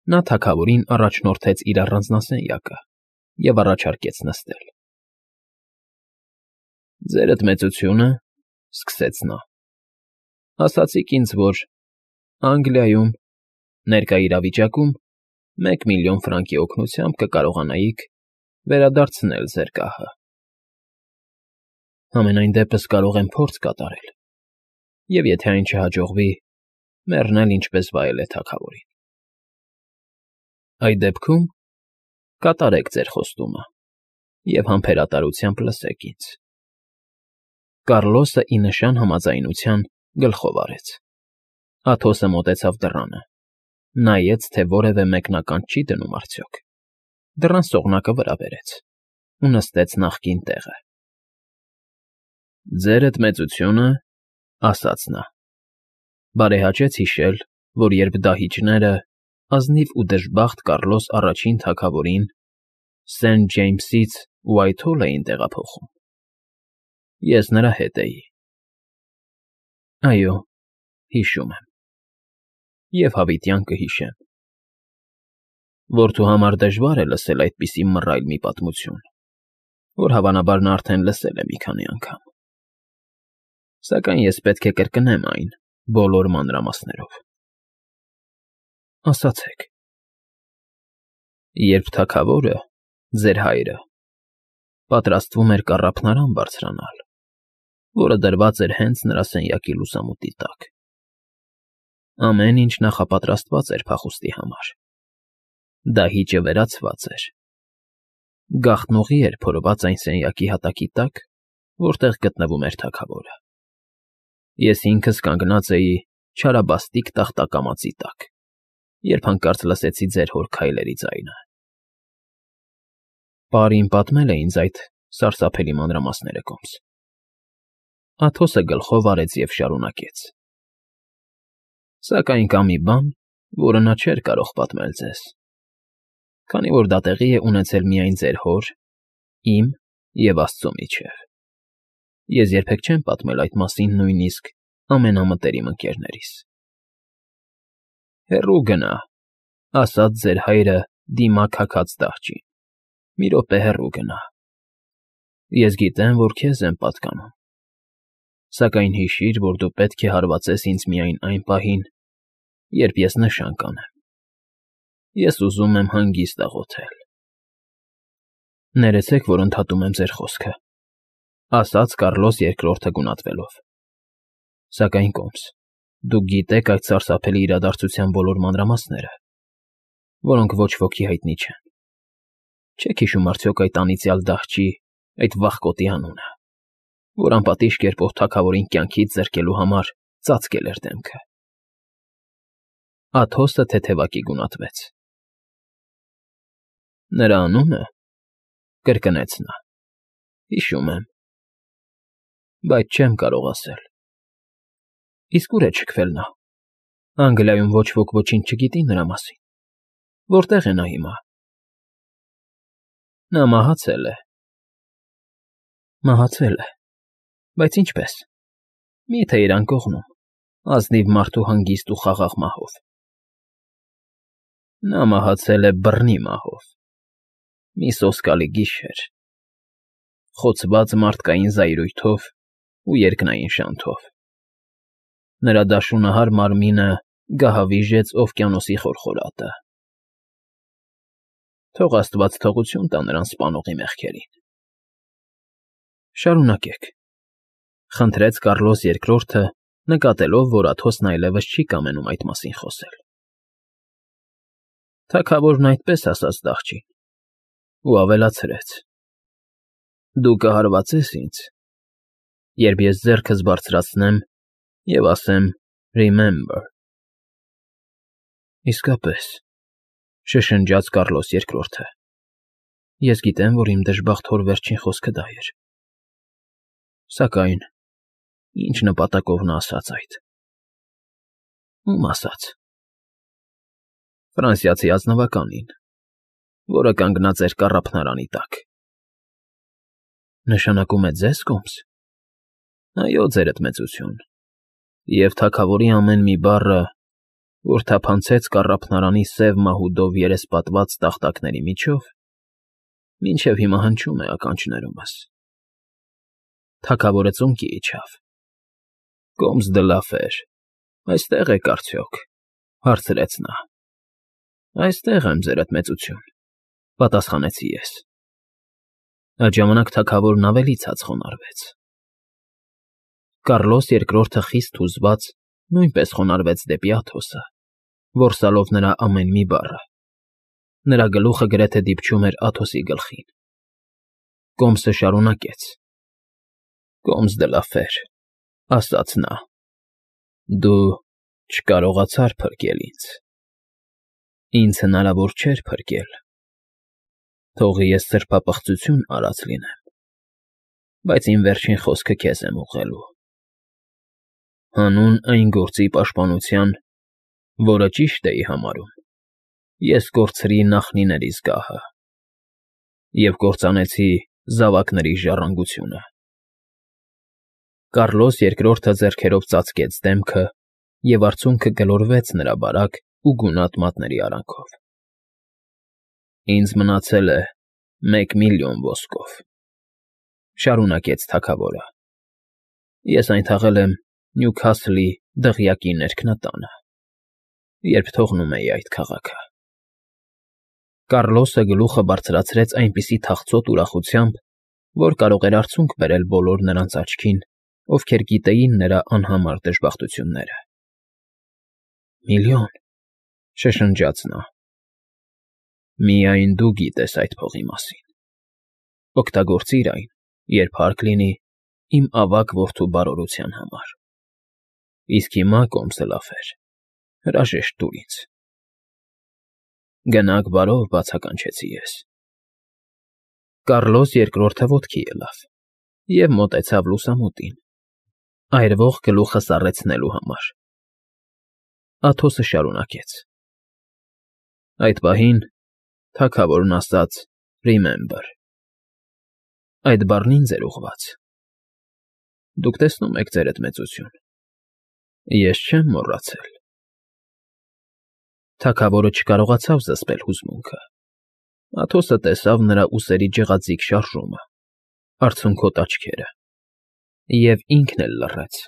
Նա թագավորին առաջնորդեց իր առանձնասենյակը և առաջարկեց նստել։ ֊ Ձերդ մեծությունը,֊ սկսեց նա,֊ ասացիք ինձ, որ Անգլիայում, ներկա իրավիճակում 1,000,000 ֆրանկի օգնությամբ կկարողանայիք վերադարձնել ձեր գահը։ Համենայն դեպս կարող եմ փորձ կատարել և, եթե այն չհաջողվի, մեռնել ինչպես վայել է թագավորին։ Այդ դեպքում կատարեք ձեր խոստումը և համբերատարությամբ լսեք ինձ։ Կառլոսը ի նշան համաձայնության գլխով արեց։ Աթոսը մոտեցավ դռանը, նայեց, թե որևէ մեկնականջ չի դնում արդյոք, դռան սողնակը վրա բերեց ու նստեց նախկին տեղը։ ֊ Ձերդ մեծությունը,֊ ասաց նա,֊ բարեհաճեց հիշել, որ երբ դահիճները ազնիվ ու դժբախտ Կառլոս առաջին թագավորին Սենթ Ջեյմսից Ուայթհոլ էին տեղափոխում, ես նրա հետ էի։ Այո, հիշում եմ, և հավիտյան կհիշեմ։ Որդու համար դժվար է լսել այդպիսի մռայլ մի պատմություն, որ հավանաբար նա արդեն լսել է մի քանի անգամ, սակայն ես պետք է կրկնեմ այն բոլոր մանրամասներով։ Ասացեք։ Երբ թագավորը, ձեր հայրը, պատրաստվում էր կառափնարան բարձրանալ, որը դրված էր հենց նրա սենյակի լուսամուտի տակ, ամեն ինչ նախապատրաստված էր փախուստի համար, դահիճը վերացված էր, գաղտնուղի էր փորված այն սենյակի հատակի տակ, որտեղ գտնվում էր թագավորը։ Ես ինքս կանգնած էի չարաբաստիկ տախտակամածի տակ, երբ հանկարծ լսեցի ձեր հոր քայլերի ձայնը։ Պարին պատմել է ինձ այդ սարսափելի մանրամասները, կոմս։ Աթոսը գլխով արեց և շարունակեց. Սակայն կա մի բան, որը նա չէր կարող պատմել ձեզ, քանի որ դա տեղի է ունեցել միայն ձեր հոր, իմ և Աստծո միջև։ Ես երբեք չեմ պատմել այդ մասին նույնիսկ ամենամտերիմ ընկերներիս։ Հեռու գնա,֊ ասաց ձեր հայրը դիմակ հագած դահճին,֊ մի րոպե հեռու գնա։ Ես գիտեմ, որ քեզ եմ պատկանում, սակայն հիշիր, որ դու պետք է հարվածես ինձ միայն այն պահին, երբ ես նշան կանեմ։ Ես ուզում եմ հանգիստ աղոթել։ Ներեցեք, որ ընդհատում եմ ձեր խոսքը,֊ ասաց Կառլոս Երկրորդը գունատվելով, սակայն, կոմս, դուք գիտեք այդ սարսափելի իրադարձության բոլոր մանրամասները, որոնք ոչ ոքի հայտնի չեն։ Չեք հիշում արդյոք այդ անիծյալ դահճի, այդ վախկոտի անունը, որ անպատիժ կերպով թագավորին կյանքից զրկելու համար ծածկել էր դեմքը։ Աթոսը թեթևակի գունատվեց։ Նրա անունը,֊ կրկնեց նա,֊ հիշում եմ, բայց չեմ կարող ասել։ Իսկ ուր է չքվել նա։ Անգլիայում ոչ ոք ոչինչ չգիտի նրա մասին։ Որտե՞ղ է նա հիմա։ Նա մահացել է։ Մահացել է, բայց ինչպե՞ս։ Մի՞թե իր անկողնում, ազնիվ մարդու հանգիստ ու խաղաղ մահով։ Նա մահացել է բռնի մահով, մի սոսկալի գիշեր, խոցված մարդկային զայրույթով ու երկնային շանթով։ Նրա դաշունահար մարմինը գահավիժեց օվկիանոսի խորխորատը։ Թող աստված թողություն տա նրան սպանողի մեղքերին։ Շարունակեք,֊ խնդրեց Կառլոս Երկրորդը, նկատելով, որ Աթոսն այլևս չի կամենում այդ մասին խոսել։ Թագավորն այդպես ասաց դահճին ու ավելացրեց. Դու կհարվածես ինձ, երբ ես ձեռքս բարձրացնեմ և ասեմ «Remember»։ Իսկապես,֊ շշնջաց Կառլոս Երկրորդը,֊ ես գիտեմ, որ իմ դժբախտ հոր վերջին խոսքը դա էր։ Սակայն ինչ նպատակով նա ասաց այդ։ Ում ասաց։ Ֆրանսիացի ազնվականին, որը կանգնած էր կառափնարանի տակ։ Նշանակում է ձեզ, կոմս։ Այո, ձերդ մեծություն, և թագավորի ամեն մի բառը որ թափանցեց կառափնարանի սև մահուդով երեսպատված տախտակների միջով, մինչև հիմա հնչում է ականջներումս։ Թագավորը ծունկի իջավ։ Կոմս դլաֆեր, այստեղ եք արդյոք, հարցրեց նա։ Այստեղ եմ, ձերդ մեծություն, պատասխանեցի ես։ Այդ ժամանակ թագավորն ավելի ցած խոնարհվեց։ Կառլոս II խիստ հուզված նույնպես խոնարհվեց դեպի Աթոսը, որսալով նրա ամեն մի բառը։ Նրա գլուխը գրեթե դիպչում էր Աթոսի գլխին։ Կոմսը շարունակեց. Կոմս դլաֆեր, ասաց նա, դու չկարողացար փրկել ինձ։ Ինձ հնարավոր չէր փրկել։ Թող ես սրբապղծություն արած լինեմ, բայց իմ վերջին խոսքը քեզ եմ ուղղելու։ Հանուն այն գործի պաշտպանության, որը ճիշտ էի համարում, ես կորցրի նախնիներիս գահը և կործանեցի զավակների ժառանգությունը։ Կառլոս II ձեռքերով ծածկեց դեմքը, և արցունքը գլորվեց նրա բարակ ու գունատ մատների արանքով։ Ինձ մնացել է 1,000,000 ոսկով, շարունակեց թագավորը։ Ես այն թաղել եմ Նյուքասլի դղյակի ներքնատանը, երբ թողնում էի այդ քաղաքը։ Կառլոսը գլուխը բարձրացրեց այնպիսի թախծոտ ուրախությամբ, որ կարող էր արցունք բերել բոլոր նրանց աչքին, ովքեր գիտեին նրա անհամար դժբախտությունները։ Միլիոն, շշնջաց նա։ Միայն դու գիտես այդ փողի մասին։ Օգտագործիր այն, երբ հարկ լինի, իմ ավագ որդու բարօրության համար։ Իսկ հիմա, Կոմսը լաֆեր, հրաժեշտ տուր ինձ։ Գնաք բարով, բացականչեցի ես։ Կառլոս II ոտքի ելավ և մոտեցավ լուսամուտին, այրվող գլուխը սառեցնելու համար։ Աթոսը շարունակեց. Այդ պահին թագավորն ասաց «Remember»։ Այդ բառն ինձ էր ուղղված։ Դուք տեսնում եք, ձերդ մեծություն, ես չեմ մոռացել։ Թագավորը չկարողացավ զսպել հուզմունքը։ Աթոսը տեսավ նրա ուսերի ջղաձիգ շարժումը, արցունքոտ աչքերը, և ինքն էլ լռեց,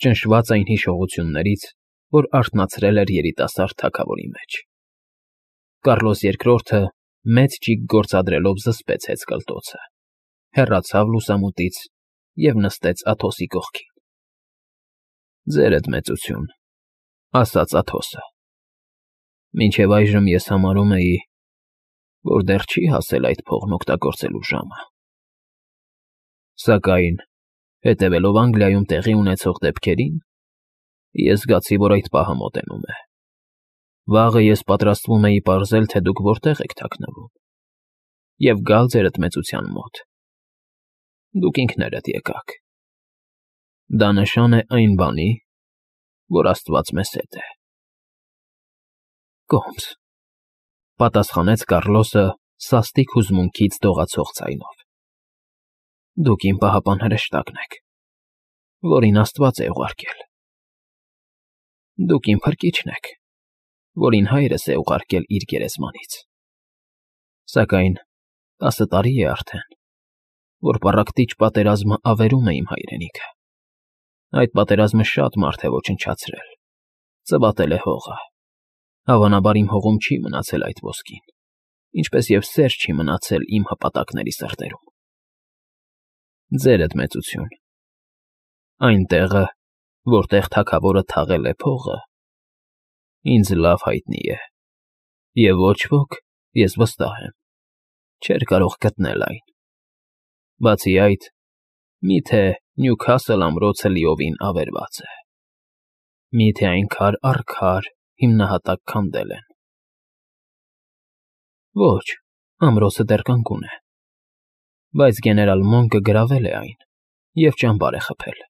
ճնշված այն հիշողություններից, որ արթնացրել էր երիտասարդ թագավորի մեջ։ Կառլոս II մեծ ճիգ գործադրելով զսպեց հեծկլտոցը, հեռացավ լուսամուտից և նստեց Աթոսի կողքին։ Ձերդ մեծություն, ասաց Աթոսը, մինչև այժմ ես համարում էի, որ դեռ չի հասել այդ փողն օգտագործելու ժամը։ Սակայն, հետևելով Անգլիայում տեղի ունեցող դեպքերին, ես զգացի, որ այդ պահը մոտենում է։ Վաղը ես պատրաստվում էի պարզել, թե դուք որտեղ եք թաքնվում, և գալ ձերդ մեծության մոտ։ Դուք ինքներդ եկաք։ Դա նշան է այն բանի, որ Աստված մեզ հետ է։ Կոմս, պատասխանեց Կառլոսը սաստիկ հուզմունքից դողացող ձայնով։ Դուք իմ պահապան հրեշտակն եք, որին Աստված է ուղարկել։ Դուք իմ փրկիչն եք, որին հայրս է ուղարկել իր գերեզմանից։ Սակայն 10 տարի է արդեն, որ պառակտիչ պատերազմը ավերում է իմ հայրենիքը։ Այդ պատերազմը շատ մարդ է ոչնչացրել, ծվատել է հողը։ Հավանաբար իմ հողում չի մնացել այդ ոսկին, ինչպես և սեր չի մնացել իմ հպատակների սրտերում։ Ձերդ մեծություն, այն տեղը, որտեղ թագավորը թաղել է փողը, ինձ լավ հայտնի է, և ոչ ոք, ես վստահ եմ, չէր կարող գտնել այն։ Բացի այդ, միթե Նյուքասլ ամրոցը լիովին ավերված է։ Միթե այն քար առ քար հիմնահատակ քանդել են։ Ոչ, ամրոցը դեռ կանգուն է, բայց գեներալ Մոնկը գրավել է այն և ճամբար է խփել։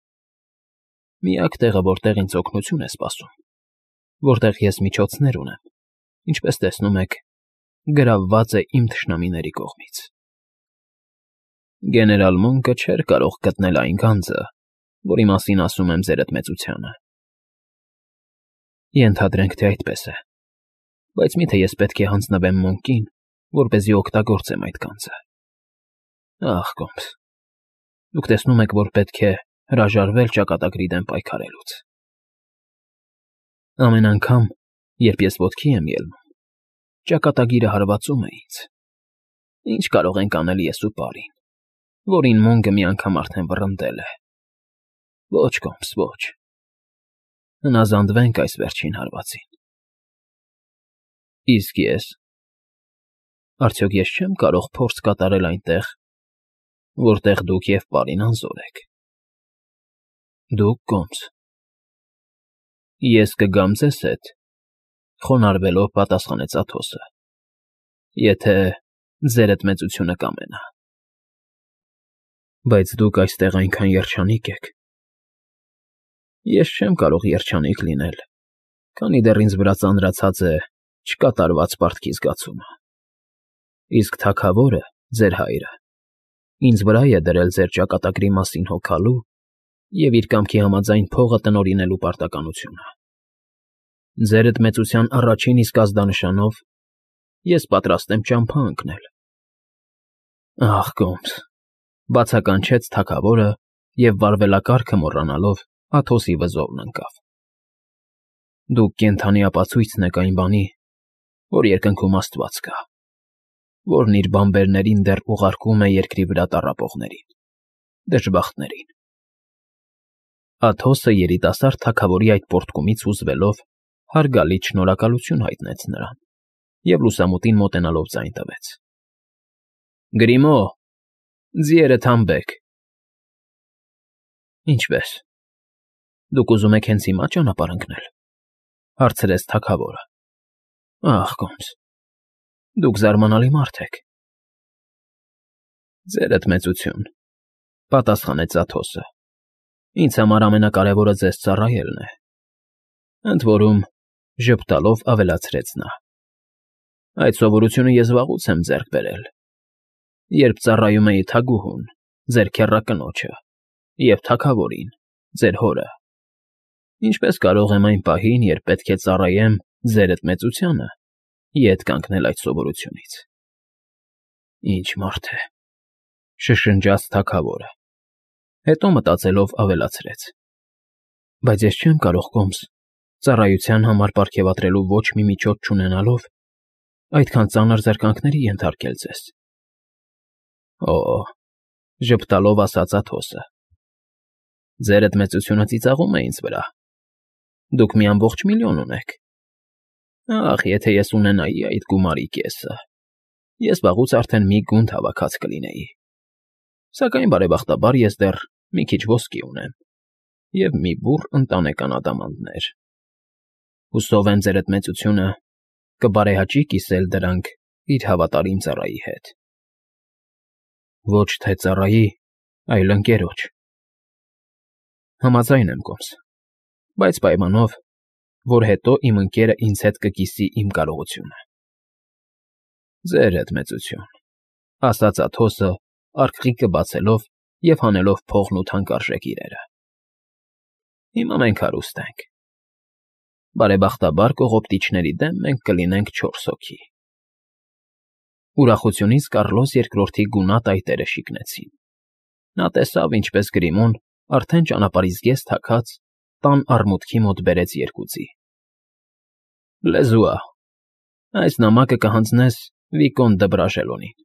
Միակ տեղը, որտեղ ինձ օգնություն է սպասում, որտեղ ես միջոցներ ունեմ, ինչպես տեսնում եք, գրավված է իմ թշնամիների կողմից։ Գեներալ Մոնկը չէր կարող գտնել այն գանձը, որի մասին ասում եմ ձերդ մեծությանը։ Ենթադրենք, թե այդպես է, բայց միթե ես պետք է հանձնվեմ Մոնկին, որպեսզի օգտագործեմ այդ գանձը։ Ախ, կոմս, դուք տեսնում եք, որ պետք է հրաժարվել ճակատագրի դեմ պայքարելուց։ Ամեն անգամ, երբ ես ոտքի եմ ելնում, ճակատագիրը հարվածում է ինձ։ Ինչ կարող ենք անել ես ու պարին, որին Մոնգը մի անգամ արդեն վռնդել է։ Ոչ, կոմս, ոչ։ Հնազանդվենք այս վերջին հարվածին։ Իսկ ես… Արդյոք ես չեմ կարող փորձ կատարել այնտեղ, որտեղ դուք և պարին անզոր եք։ Դուք, կոմս… Ես կգամ ձեզ հետ, խոնարհվելով պատասխանեց Աթոսը, եթե ձերդ մեծությունը կամենա։ Բայց դուք այստեղ այնքան երջանիկ եք։ Ես չեմ կարող երջանիկ լինել, քանի դեռ ինձ վրա ծանրացած է չկատարված պարտքի զգացումը։ Իսկ թագավորը, ձեր հայրը, ինձ վրա է դրել ձեր ճակատագրի մասին հոգալու և իր կամքի համաձայն փողը տնօրինելու պարտականությունը։ Ձերդ մեծության առաջին իսկ ազդանշանով ես պատրաստ եմ ճամփա ընկնել։ Ախ, կոմս, բացականչեց թագավորը և վարվելակարգը մոռանալով Աթոսի վզովն ընկավ։ Դուք կենդանի ապացույցն եք այն բանի, որ երկնքում Աստված կա, որն իր բանբերներին դեռ ուղարկում է երկրի վրա տառապողներին, դժբախտներին։ Աթոսը երիտասարդ թագավորի այդ պոռթկումից հուզվելով հարգալից շնորհակալություն հայտնեց նրան և լուսամուտին մոտենալով ձայն տվեց. Գրիմո, ձիերը թամբեք։ Ինչպե՞ս։ Դուք ուզում եք հենց հիմա ճանապարհ ընկնել, հարցրեց թագավորը։ Ախ, կոմս, դուք զարմանալի մարդ եք։ Ձերդ մեծություն, պատասխանեց Աթոսը, ինձ համար ամենակարևորը ձեզ ծառայելն է։ Ընդ որում, ժպտալով ավելացրեց նա. Այդ սովորությունը ես վաղուց եմ ձեռք բերել, երբ ծառայում էի թագուհուն, ձեր քեռակնոջը, և թագավորին, ձեր հորը։ Ինչպես կարող եմ այն պահին, երբ պետք է ծառայեմ ձերդ մեծությանը, ետ կանգնել այդ սովորությունից։ Ինչ մարդ է, շշնջաց թագավորը, հետո մտածելով ավելացրեց. Բայց ես չեմ կարող, կոմս, ծառայության համար պարգևատրելու ոչ մի միջոց չունենալով, այդքան ծանր զրկանքների ենթարկել ձեզ։ Օ, ժպտալով ասաց Աթոսը, ձերդ մեծությունը ծիծաղում է ինձ վրա։ Դուք մի ամբողջ միլիոն ունեք։ Ախ, եթե ես ունենայի այդ գումարի կեսը, ես վաղուց արդեն մի գունդ հավաքած կլինեի։ Սակայն բարեբախտաբար ես դեռ մի քիչ ոսկի ունեմ և մի բուռ ընտանեկան ադամանդներ։ Հուսով եմ ձերդ մեծությունը կբարեհաճի կիսել դրանք իր հավատարիմ ծառայի հետ։ Ոչ թե ծառայի, այլ ընկերոջ։ Համաձայն եմ, կոմս, բայց պայմանով, որ հետո իմ ընկերը ինձ հետ կկիսի իմ կարողությունը։ Ձերդ մեծություն, ասաց Աթոսը, արկղիկը բացելով և հանելով փողն ու թանկարժեք իրերը։ Հիմա մենք հարուստ ենք։ Բարեբախտաբար կողոպտիչների դեմ մենք կլինենք 4 հոգի։ Ուրախությունից Կառլոս II-ի գունատ այտերը շիկնեցին։ Նա տեսավ, ինչպես Գրիմոն արդեն ճանապարհից ես թաքած տան արմուտքի մոտ բերեց 2 ձի։ Լեզուա, այս նամակը կհանձնես Վիկոնտ դը Բրաժելոնին։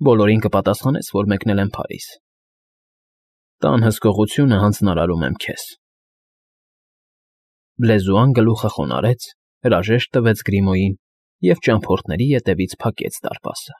Բոլորին կպատասխանես, որ մեկնել եմ Փարիզ։ Տան հսկողությունը հանձնարարում եմ քեզ։ Լեզուան գլուխը խոնարհեց, հրաժեշտ տվեց Գրիմոյին և ճամփորդների ետևից փակեց դարպասը։